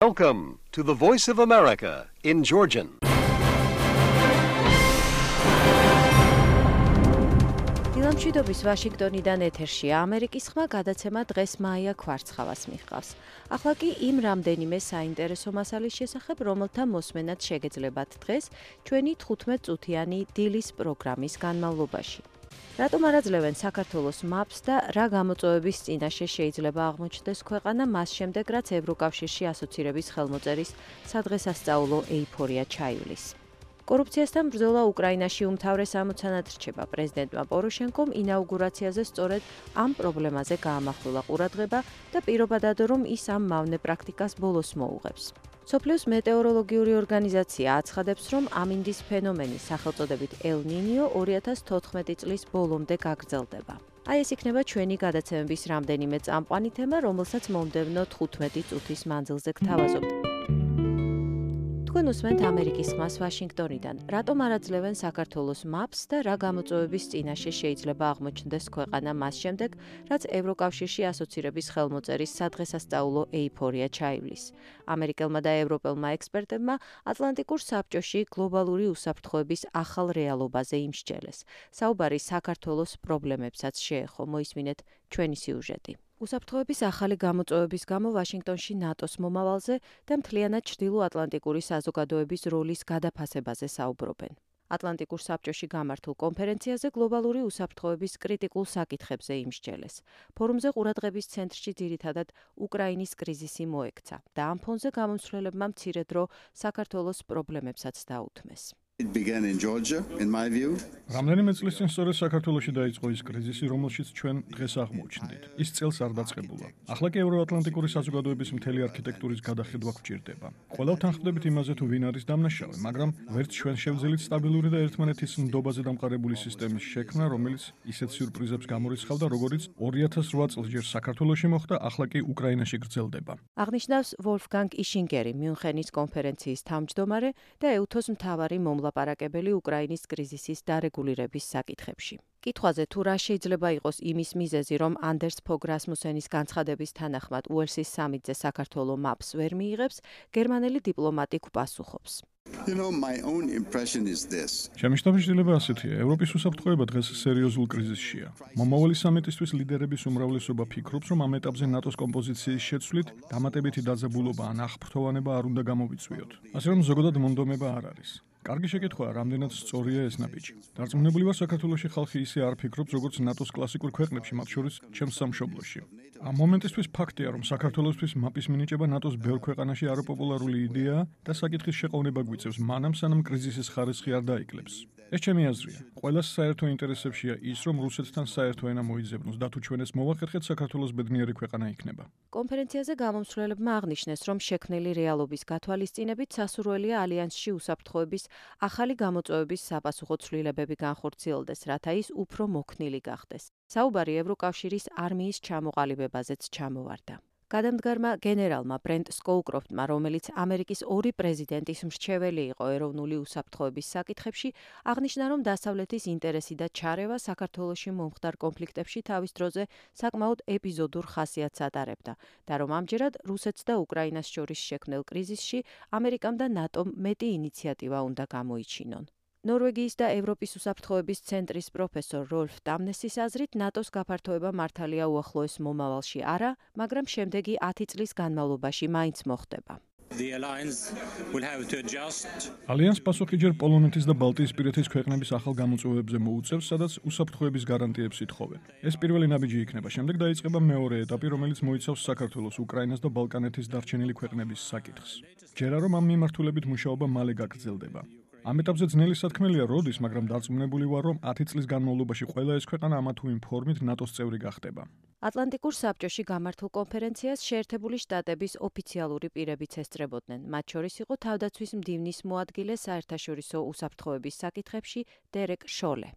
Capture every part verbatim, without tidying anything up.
Welcome to the Voice of America in Georgian. დილამშვიდობის ვაშინგტონიდან ეთერშია ამერიკის ხმა გადაცემა დღეს მაია ქვარცხავას მიჰყავს. ახლა კი იმ რამდენიმე საინტერესო მასალის შესახებ, რომელთა მოსმენად შეგეძლებათ დღეს ჩვენი თხუთმეტ წუთიანი დილის პროგრამის განმავლობაში. რატომ არ აძლევენ საქართველოს მაპს და რა გამოწვევების წინაშე შეიძლება აღმოჩნდეს ქვეყანა მას შემდეგ, რაც ევროკავშირში ასოცირების ხელმოწერის სადღესასწაულო ეიფორია ჩაივლის. კორუფციასთან ბრძოლა უკრაინაში უმთავრეს ამოცანად რჩება. პრეზიდენტმა პოროშენკომ ინაუგურაციაზე სწორედ ამ პრობლემაზე გაამახვილა ყურადღება და პირობადად რომ ის ამ მავნე პრაქტიკას ბოლოს მოუღებს. მსოფლიოს მეტეოროლოგიური ორგანიზაცია აცხადებს, რომ ამინდის ფენომენი სახელწოდებით ელ ნინიო ორი ათას თოთხმეტი წლის ბოლომდე გაგრძელდება. აი ეს იქნება ჩვენი გადაცემების რამდენიმე წამყვანი თემა, რომელსაც მომდევნო თხუთმეტი წუთის მანძილზე გთავაზობთ. თქვენ უსმენთ ამერიკის ხმას ვაშინგტონიდან. რატომ არ აძლევენ საქართველოს მაპს და რა გამოწვევების წინაშე შეიძლება აღმოჩნდეს ქვეყანა მას შემდეგ, რაც ევროკავშირში ასოცირების ხელმოწერის სადღესასწაულო ეიფორია ჩაივლის. ამერიკელმა და ევროპელმა ექსპერტებმა ატლანტიკურ საბჭოში გლობალური უსაფრთხოების ახალ რეალობაზე იმსჯელეს. საუბარი საქართველოს პრობლემებსაც შეეხო. მოისმინეთ ჩვენი სიუჟეტი. უსაფრთხოების ახალი გამოწვევების გამო ვაშინგტონში ნატოს მომავალზე და მთლიანად ჩრდილო-ატლანტიკური საზოგადოების როლის გადაფასებაზე საუბრობენ. ატლანტიკურ საბჭოში გამართულ კონფერენციაზე გლობალური უსაფრთხოების კრიტიკულ საკითხებზე იმსჯელეს. ფორუმზე ყურადღების ცენტრში ძირითადად უკრაინის კრიზისი მოექცა და ამ ფონზე გამომცვლელებმა მცირე დრო საქართველოს პრობლემებსაც დაუთმეს. It began in Georgia, in my view. რამდენიმე წლის წინ სწორედ საქართველოში დაიწყო ის კრიზისი, რომელშიც ჩვენ დღეს აღმოჩნდით. ის წელს არ დაწყებულა. ახლა კი ევროატლანტიკური საზოგადოების მთელი არქიტექტურის გადახედვა გვჭირდება. ყველავთან ხვდებით იმაზე, თუ ვინ არის დამნაშავე, მაგრამ ვერც ჩვენ შევძელით სტაბილური და ერთმანეთის ნდობაზე დამყარებული სისტემის შექმნა, რომელიც ისეთ სიურპრიზებს გამორიცხავდა, როგორიც ორი ათას რვა წელს ჯერ საქართველოში მოხდა, ახლა კი უკრაინაში გრძელდება. აღნიშნავს ვოლფგანგ იშინგერი, მიუნხენის კონფერენციის თავმჯდომარე და ეუთოს მთავარი მომლა ლაპარაკებელი უკრაინის კრიზისის დარეგულირების საკითხებში. კითხვაზე თუ რა შეიძლება იყოს იმის მიზეზი, რომ ანდერს ფოგ რასმუსენის განცხადების თანახმად უელსის სამიტზე საქართველო მაპს ვერ მიიღებს, გერმანელი დიპლომატი გვპასუხობს. You know, my own impression is this. ჩემი შთაბეჭდილება ასეთია, ევროპის უსაფრთხოება დღეს სერიოზულ კრიზისშია. მომავალი სამიტისთვის ლიდერების უმრავლესობა ფიქრობს, რომ ამ ეტაპზე ნატოს კომპოზიციის შეცვლით დამატებითი დაძაბულობა ან აღფრთოვანება არ უნდა გამოვიწვიოთ. ასე რომ ზოგადად მონდომება არ არის. კარგი შეკითხვაა, რამდენად სწორია ეს ნაბიჯი. დარწმუნებული ვარ, საქართველოში ხალხი ისე არ ფიქრობს, როგორც ნატოს კლასიკურ ქვეყნებში, მათ შორის ჩემს სამშობლოში. ამ მომენტისთვის ფაქტია, რომ საქართველოსთვის მაპის მინიჭება ნატოს ბევრ ქვეყანაში არაპოპულარული იდეაა და საკითხის შეყოვნება გვიწევს, მანამ სანამ კრიზისის ხარისხი არ დაიკლებს. ეს ჩემი აზრია. ყველას საერთო ინტერესებშია ის, რომ რუსეთთან საერთო ენა მოიძებნოს და თუ ჩვენ ეს მოვახერხეთ, საქართველოს ბედნიერი ქვეყანა იქნება. კონფერენციაზე გამომცვლელებმა აღნიშნეს, რომ შექმნილი რეალობის გათვალისწინებით სასურველია ალიანსში უსაფრთხოების ახალი გამოწვევების საპასუხო ცვლილებები განხორციელდეს, რათა ის უფრო მოქნილი გახდეს. საუბარი ევროკავშირის არმიის ჩამოყალიბებაზეც ჩამოვარდა. გადამდგარმა გენერალმა ბრენტ სკოუკროფტმა, რომელიც ამერიკის ორი პრეზიდენტის მრჩეველი იყო ეროვნული უსაფრთხოების საკითხებში, აღნიშნა, რომ დასავლეთის ინტერესი და ჩარევა საქართველოში მომხდარ კონფლიქტებში თავის დროზე საკმაოდ ეპიზოდურ ხასიათს ატარებდა და რომ ამჯერად რუსეთს და უკრაინას შორის შექმნილ კრიზისში ამერიკამ და ნატომ მეტი ინიციატივა უნდა გამოიჩინონ. ნორვეგიის და ევროპის უსაფრთხოების ცენტრის პროფესორ როლფ დამნესის აზრით, ნატოს გაფართოება მართალია უახლოეს მომავალში არა, მაგრამ შემდეგი ათი წლის განმავლობაში მაინც მოხდება. ალიანს პასუხი ჯერ პოლონეთის და ბალტიისპირეთის ქვეყნების ახალ გამოწვევებზე მოუწევს, სადაც უსაფრთხოების გარანტიებს ითხოვენ. ეს პირველი ნაბიჯი იქნება, შემდეგ დაიწყება მეორე ეტაპი, რომელიც მოიცავს საქართველოს, უკრაინას და ბალკანეთის დარჩენილი ქვეყნების საკითხს. ჯერა რომ ამ მიმართულებით მუშაობა მალე გაგრძელდება. ამ ეტაპზე ძნელი სათქმელია როდის, მაგრამ დარწმუნებული ვარ, რომ ათი წლის განმავლობაში ყველა ეს ქვეყანა ამა თუ იმ ფორმით ნატოს წევრი გახდება. ატლანტიკურ საბჭოში გამართულ კონფერენციას შეერთებული შტატების ოფიციალური პირებიც ესწრებოდნენ. მათ შორის იყო თავდაცვის მდივნის მოადგილე საერთაშორისო უსაფრთხოების საკითხებში დერეკ შოლე.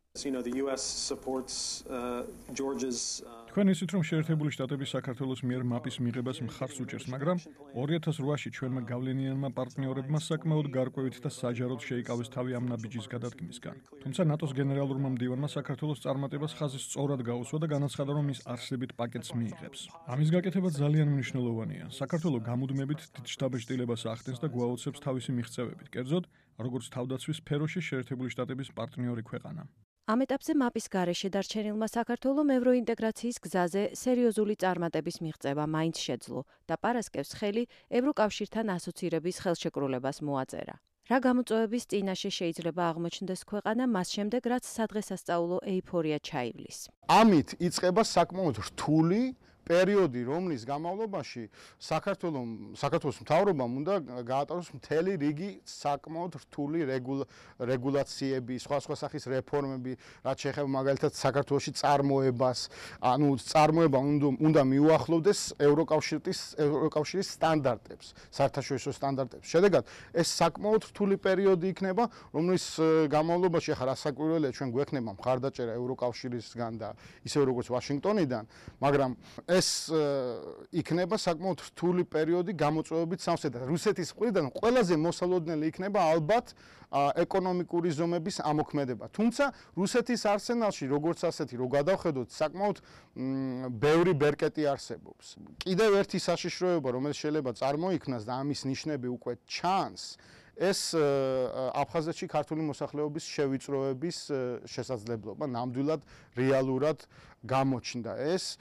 თქვენ იცით, რომ შეერთებული შტატები საქართველოს მიერ მაპის მიღებას მხარს უჭერს, მაგრამ ორი ათას რვაში ჩვენმა გავლენიანმა პარტნიორებმა საკმაოდ გარკვევით და საჯაროდ შეიკავეს თავი ამ ნაბიჯის გადადგმისგან. თუმცა ნატოს გენერალურმა მდივანმა საქართველოს წარმატებას ხაზი სწორად გაუსვა და განაცხადა, რომ ის არსებით პაკეტს მიიღებს. ამის გაკეთება ძალიან მნიშვნელოვანია. საქართველოს გამუდმებით დიდ შთაბეჭდილებას ახდენს და გვაოცებს თავისი მიღწევებით, კერძოდ, როგორც თავდაცვის სფეროში შეერთებული შტატების პარტნიორი ქვეყანა. ამ ეტაპზე მაპის გარეშე დარჩენილმა საქართველომ ევროინტეგრაციის გზაზე სერიოზული წარმატების მიღწევა მაინც შეძლო და პარასკევს ხელი ევროკავშირთან ასოცირების ხელშეკრულებას მოაწერა. რა გამოწვევების წინაშე შეიძლება აღმოჩნდეს ქვეყანა მას შემდეგ, რაც სადღესასწაულო ეიფორია ჩაივლის. ამით იწყება საკმაოდ რთული პერიოდი, რომლის განმავლობაში საქართველოს საქართველოს მთავრობამ უნდა გაატაროს მთელი რიგი საკმაოდ რთული რეგულაციები, სხვა სხვა სახის რეფორმები, რაც შეეხება მაგალითად საქართველოში წარმოებას, ანუ წარმოება უნდა მიუახლოვდეს ევროკავშირის ევროკავშირის სტანდარტებს, საერთაშორისო სტანდარტებს. შედეგად, ეს საკმაოდ რთული პერიოდი იქნება, რომლის განმავლობაში ახლა რასაკვირველია ჩვენ გვექნება მხარდაჭერა ევროკავშირისგან და ისე როგორც ვაშინგტონიდან, მაგრამ ეს იქნება საკმაოდ რთული პერიოდი გამოწვევებით სამსედად. რუსეთის მხრიდან ყველაზე მოსალოდნელი იქნება ალბათ ეკონომიკური ზომების ამოქმედება. თუმცა რუსეთის არსენალში როგორც ასეთი რო გადავხედოთ, საკმაოდ ბევრი ბერკეტი არსებობს. კიდევ ერთი საშიშროება, რომელიც შეიძლება წარმოიქმნას და ამის ნიშნები უკვე ჩანს, ეს აფხაზეთში ქართული მოსახლეობის შევიწროების შესაძლებლობა ნამდვილად რეალურად გამოჩნდა. ეს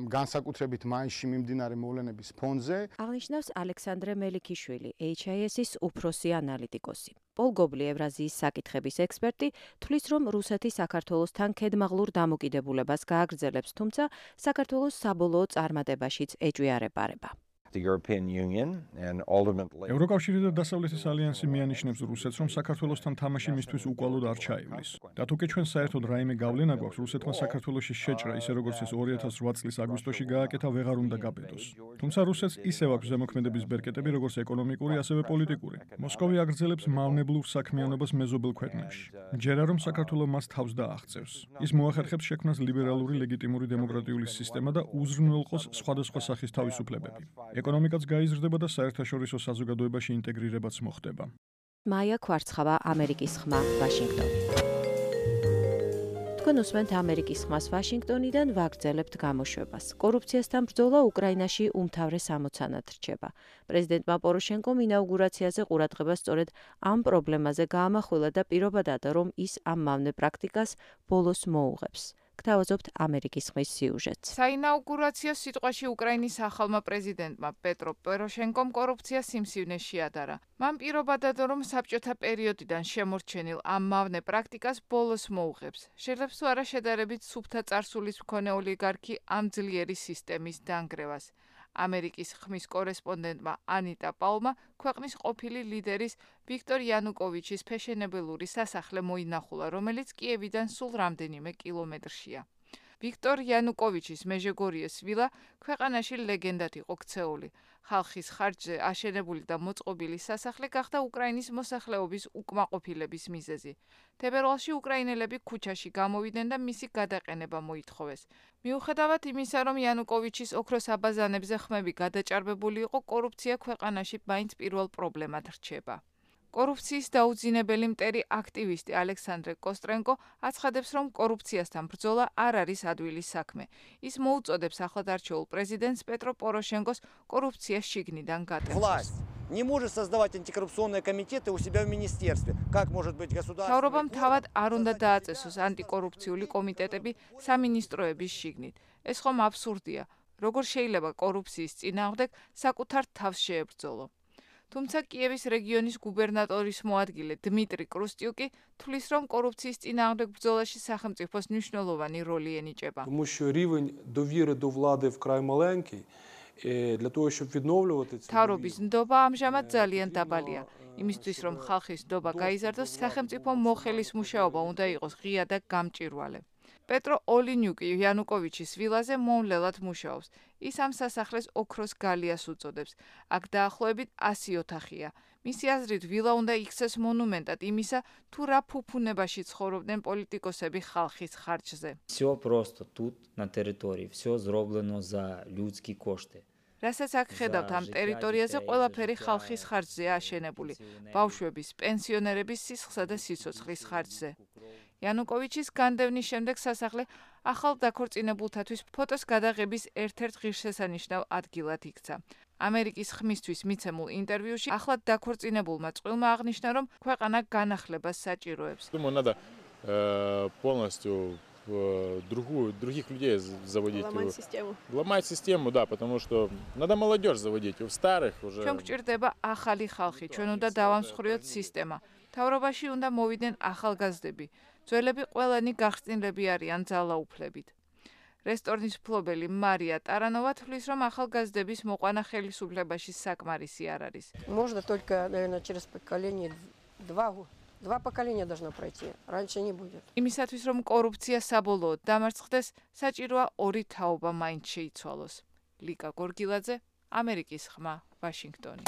განსაკუთრებით მაისში მიმდინარე მოვლენების ფონზე. აღნიშნავს ალექსანდრე მელიქიშვილი, ეიჩ აი ეს-ის უფროსი ანალიტიკოსი. პოლ გობლი, ევრაზიის საკითხების ექსპერტი, თვლის, რომ რუსეთი საქართველოსთან ქედმაღლურ დამოკიდებულებას გააგრძელებს, თუმცა საქართველოს საბოლოო წარმატებაშიც ეჭვიარეპარება. ევროკავშირი და დასავლეთის ალიანსი მიანიშნებს რუსეთს, რომ საქართველოსთან თამაში მისთვის უკვალოდ არ ჩაივლის. და თუკი ჩვენ საერთოდ რაიმე გავლენა გვაქვს, რუსეთმა საქართველოში შეჭრა, ისე როგორც ეს ორი ათას ოთხ წლის აგვისტოში გააკეთა, ვეღარ უნდა გაბედოს. თუმცა რუსეთს ისევ აქვს ზემოქმედების ბერკეტები, როგორც ეკონომიკური, ასევე პოლიტიკური. მოსკოვი აგრძელებს მავნებლურ საქმიანობას მეზობელ ქვეყნებში. ჯერა რომ საქართველო მას თავს დააღწევს. ის მოახერხებს შექმნას ლიბერალური ლეგიტიმური დემოკრატიული სისტემა და უზრუნველყოს სხვადასხვა სახის თავისუფლებები. ეკონომიკაც გაიზრდება და საერთაშორისო საზოგადოებაში ინტეგრირებაც მოხდება. მაია კვარცხავა, ამერიკის ხმა, ვაშინგტონი. თქვენ უსმენთ ამერიკის ხმას ვაშინგტონიდან, ვაგრძელებთ გამოშვებას. კორუფციასთან ბრძოლა უკრაინაში უმთავრეს ამოცანად რჩება. პრეზიდენტმა პოროშენკომ ინაუგურაციაზე ყურადღება სწორედ ამ პრობლემაზე გაამახვილა და პირობადადა, რომ ის ამ მავნე პრაქტიკას ბოლოს მოუღებს. გთავაზობთ ამერიკის ხმის სიუჟეტს. საინაუგურაციო სიტყვაში უკრაინის ახალმა პრეზიდენტმა პეტრო პოროშენკომ კორუფცია სიმსივნე შეადარა. მან პირობადადა, რომ საბჭოთა პერიოდიდან შემორჩენილ ამ მავნე პრაქტიკას ბოლოს მოუღებს. შეძლებს თუ არა შედარებით სუფთა წარსულის მქონე ოლიგარქი ამ ძლიერი სისტემის დანგრევას. ამერიკის ხმის კორესპონდენტმა ანიტა პაულმა ქვეყნის ყოფილი ლიდერის ვიქტორ იანუკოვიჩის ფეშენებელური სასახლე მოინახულა, რომელიც კიევიდან სულ რამდენიმე კილომეტრშია. ვიქტორ იანუკოვიჩის მეჟეგორიეს ვილა ქვეყანაში ლეგენდად იყო ქცეული. ხალხის ხარჯზე აშენებული და მოწყობილი სასახლე გახდა უკრაინის მოსახლეობის უკმაყოფილების მიზეზი. თებერვალში უკრაინელები ქუჩაში გამოვიდნენ და მისი გადაყენება მოითხოვეს. მიუხედავად იმისა, რომ იანუკოვიჩის ოქროს აბაზანებზე ხმები გადაჭარბებული იყო, კორუფცია ქვეყანაში მაინც პირველ პრობლემად რჩება. კორუფციის დაუძინებელი მტერი აქტივისტი ალექსანდრე კოსტრენკო აცხადებს, რომ კორუფციასთან ბრძოლა არ არის ადვილის საქმე. ის მოუწოდებს ახლად არჩეულ პრეზიდენტს პეტრო პოროშენკოს კორუფციას შიგნიდან გატეხოს. Не может создавать антикоррупционные комитеты у себя в министерстве. Как может быть государство? მთავრობამ თავად არ უნდა დააწესოს ანტიკორუფციული კომიტეტები სამინისტროების შიგნით. ეს ხომ აბსურდია. როგორ შეიძლება კორუფციის წინააღმდეგ საკუთარ თავს შეებრძოლო? თუმცა კიევის რეგიონის გუბერნატორის მოადგილე დმიტრი კრუსტიუკი თვლის, რომ კორუფციის წინააღმდეგ ბრძოლაში სახელმწიფოს მნიშვნელოვანი როლი ენიჭება. Тому що рівень довіри до влади вкрай маленький. Для того, щоб відновлювати ці თავრობის ნდობა ამჟამად ძალიან დაბალია. იმისთვის, რომ ხალხის ნდობა გაიზარდოს, სახელმწიფო მოხელის მუშაობა უნდა იყოს ღია და გამჭვირვალე. პეტრო ოლინიუკი იანუკოვიჩის ვილაზე მომლელად მუშაობს. ის ამ სასახლეს ოქროს გალიას უწოდებს. აქ დაახლოებით ასი ოთახია. მისი აზრით, ვილა უნდა იქცეს მონუმენტად იმისა, თუ რა ფუფუნებაში ცხოვრობდნენ პოლიტიკოსები ხალხის ხარჯზე. Всё просто тут на території, всё зроблено за людські кошти. რასაც აქ ხედავთ ამ ტერიტორიაზე ყველაფერი ხალხის ხარჯზეა აშენებული, ბავშვების, პენსიონერების სისხლსა და სიცოცხლის ხარჯზე. იანუკოვიჩის განდევნის შემდეგ სასახლე ახალ დაქორწინებულთათვის ფოტოს გადაღების ერთ-ერთ ღირსშესანიშნავ ადგილად იქცა. ამერიკის ხმისთვის მიცემულ ინტერვიუში ახლად დაქორწინებულმა წყვილმა აღნიშნა, რომ ქვეყანა განახლებას საჭიროებს. Думаю, надо э, полностью э, другую, других людей заводить. Ломать систему. Ломать систему, да, потому что надо молодежь заводить. У старых уже... ჩვენ გვჭირდება ახალი ხალხი, ჩვენ უნდა დავამსხვრიოთ სისტემა. მთავრობაში უნდა მოვიდნენ ახალგაზრდები. ძველები ყველანი გახსნილები არიან ძალაუფლებით. რესტორნის მფლობელი მარია ტარანოვა თვლის, რომ ახალგაზრდების მოყვანა ხელისუფლებაში საკმარისი არ არის. Можно только, наверное, через поколение два два поколения должно пройти. Раньше не будет. იმისათვის, რომ კორუფცია საბოლოოდ დამარცხდეს, საჭიროა ორი თაობა მაინც შეიცვალოს. ლიკა გორგილაძე, ამერიკის ხმა, ვაშინგტონი.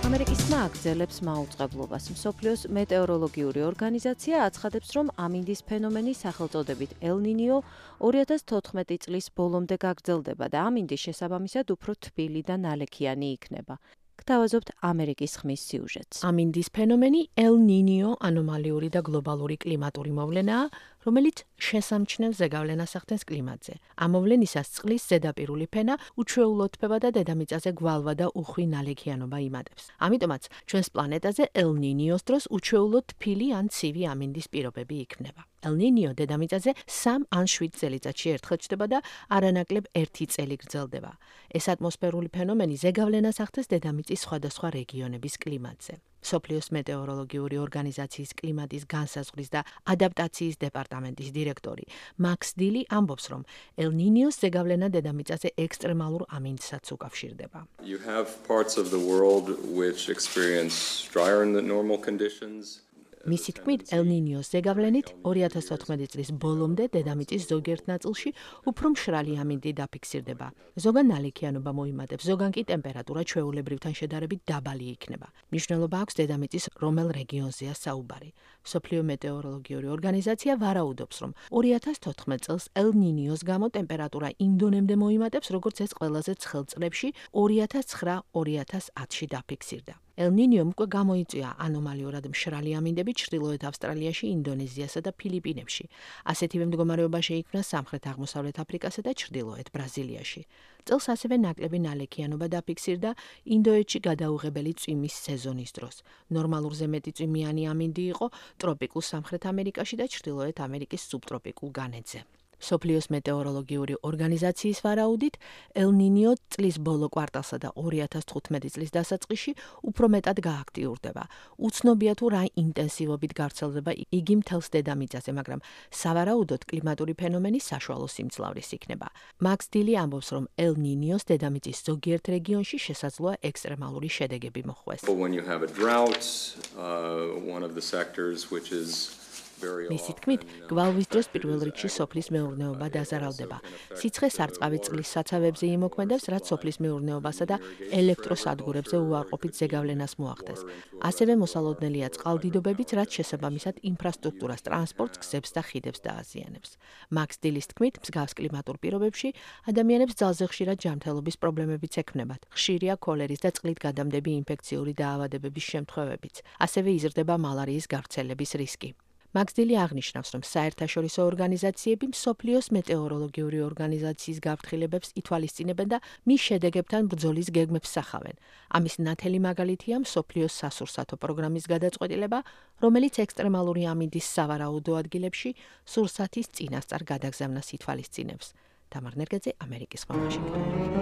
ამერიკის ხმა აგრძელებს მაუწყებლობას. მსოფლიოს მეტეოროლოგიური ორგანიზაცია აცხადებს, რომ ამინდის ფენომენი სახელწოდებით ელ-ნინიო ორი ათას თოთხმეტი წლის ბოლომდე გაგრძელდება და ამინდის შესაბამისად უფრო თბილი და ნალექიანი იქნება. გთავაზობთ ამერიკის ხმის სიუჟეტს. ამინდის ფენომენი ელ-ნინიო ანომალიური და გლობალური კლიმატური მოვლენაა, რომელიც შესამჩნევ ზეგავლენას ახდენს კლიმატზე. ამ მოვლენისას წყლის ზედაპირული ფენა უჩვეულოდ თბება და დედამიწაზე გვალვა და უხვი ნალექიანობა იმატებს. ამიტომაც ჩვენს პლანეტაზე ელ-ნინიოს დროს უჩვეულოდ თბილი ან ცივი ამინდის პირობები იქმნება. ელ-ნინიო დედამიწაზე სამ ან შვიდ წელიწადში ერთხელ ჩნდება და არანაკლებ ერთი წელი გრძელდება. ეს ატმოსფერული ფენომენი ზეგავლენას ახდენს დედამიწის სხვადასხვა რეგიონების კლიმატზე. მსოფლიოს მეტეოროლოგიური ორგანიზაციის კლიმატის განსაზღვრის და ადაპტაციის დეპარტამენტის დირექტორი მაქს დილი ამბობს, რომ ელ-ნინიოს ზეგავლენა დედამიწაზე ექსტრემალურ ამინდსაც უკავშირდება. You have parts of the world which experience drier than normal conditions. მისი თქმით, ელ-ნინიოს ზეგავლენით ორი ათას თოთხმეტი წლის ბოლომდე დედამიწის ზოგიერთ ნაწილში უფრო მშრალი ამინდი დაფიქსირდება. ზოგან ნალექიანობა მოიმატებს, ზოგან კი ტემპერატურა ჩვეულებრივთან შედარებით დაბალი იქნება. მნიშვნელობა აქვს დედამიწის რომელ რეგიონზეა საუბარი. მსოფლიო მეტეოროლოგიური ორგანიზაცია ვარაუდობს, რომ ორი ათას თოთხმეტ წელს ელ-ნინიოს გამო ტემპერატურა იმ დონემდე მოიმატებს, როგორც ეს ყველაზე ცხელ წლებში ორი ათას ცხრა ორი ათას ათში დაფიქსირდა. ელ-ნინიომ უკვე გამოიწვია ანომალიურად მშრალი ამინდები ჩრდილოეთ ავსტრალიაში, ინდონეზიასა და ფილიპინებში. ასეთივე მდგომარეობა შეიქმნა სამხრეთ-აღმოსავლეთ აფრიკასა და ჩრდილოეთ ბრაზილიაში. წელს ასევე ნაკლები ნალექიანობა დაფიქსირდა ინდოეთში გადაუღებელი წვიმის სეზონის დროს. ნორმალურზე მეტი წვიმიანი ამინდი იყო ტროპიკულ სამხრეთ ამერიკაში და ჩრდილოეთ ამერიკის სუბტროპიკულ განედზე. მსოფლიოს მეტეოროლოგიური ორგანიზაციის ვარაუდით, ელ-ნინიო წლის ბოლო კვარტალსა და ორი ათას თხუთმეტი წლის დასაწყისში უფრო მეტად გააქტიურდება. უცნობია თუ რა ინტენსივობით გავრცელდება იგი მთელს დედამიწაზე, მაგრამ სავარაუდოდ კლიმატური ფენომენი საშუალო სიმძლავრის იქნება. მაქს დილი ამბობს, რომ ელ-ნინიოს დედამიწის ზოგიერთ რეგიონში შესაძლოა ექსტრემალური შედეგები მოხვდეს. When you have a drought, uh, one of the sectors which is მისი თქმით, გვალვის დროს პირველ რიგში სოფლის მეურნეობა დაზარალდება. სიცხე სარწყავი წყლის საცავებზე იმოქმედებს, რაც სოფლის მეურნეობასა და ელექტროსადგურებზე უარყოფით ზეგავლენას მოახდენს. ასევე მოსალოდნელია წყალდიდობებიც, რაც შესაბამისად ინფრასტრუქტურას, ტრანსპორტს, გზებს და ხიდებს დააზიანებს. მაქს დილის თქმით, მსგავს კლიმატურ პირობებში ადამიანებს ძალზე ხშირად ჯანმრთელობის პრობლემებიც ექმნებათ. ხშირია ქოლერის და წყლით გადამდები ინფექციური დაავადებების შემთხვევებიც. ასევე იზრდება მალარიის გავრცელების რისკი. მაქს დილი აღნიშნავს, რომ საერთაშორისო ორგანიზაციები მსოფლიოს მეტეოროლოგიური ორგანიზაციის გაფრთხილებებს ითვალისწინებენ და მის შედეგებთან ბრძოლის გეგმებს სახავენ. ამის ნათელი მაგალითია მსოფლიოს სასურსათო პროგრამის გადაწყვეტილება, რომელიც ექსტრემალური ამინდის სავარაუდო ადგილებში სურსათის წინასწარ გადაგზავნას ითვალისწინებს. თამარ ნერგაძე, ამერიკის ხმა, ვაშინგტონი.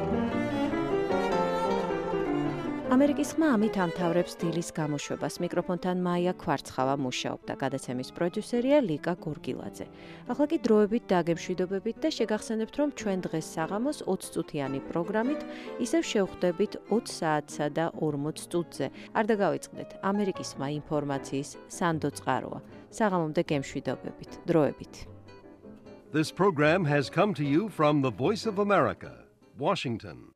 ამერიკის ხმა ამით ამთავრებს დილის გამოშვებას. მიკროფონთან მაია ქვარცხავა მუშაობდა, გადაცემის პროდიუსერია ლიკა გორგილაძე. ახლა კი დროებით დაგემშვიდობებით და შეგახსენებთ, რომ ჩვენ დღეს საღამოს ოცი წუთიანი პროგრამით ისევ შევხვდებით ოცი საათსა და ორმოც წუთზე. არ დაგავიწყდეთ, ამერიკის ხმა ინფორმაციის სანდო წყაროა. საღამომდე გემშვიდობებით. დროებით. This program has come to you from the Voice of America, Washington.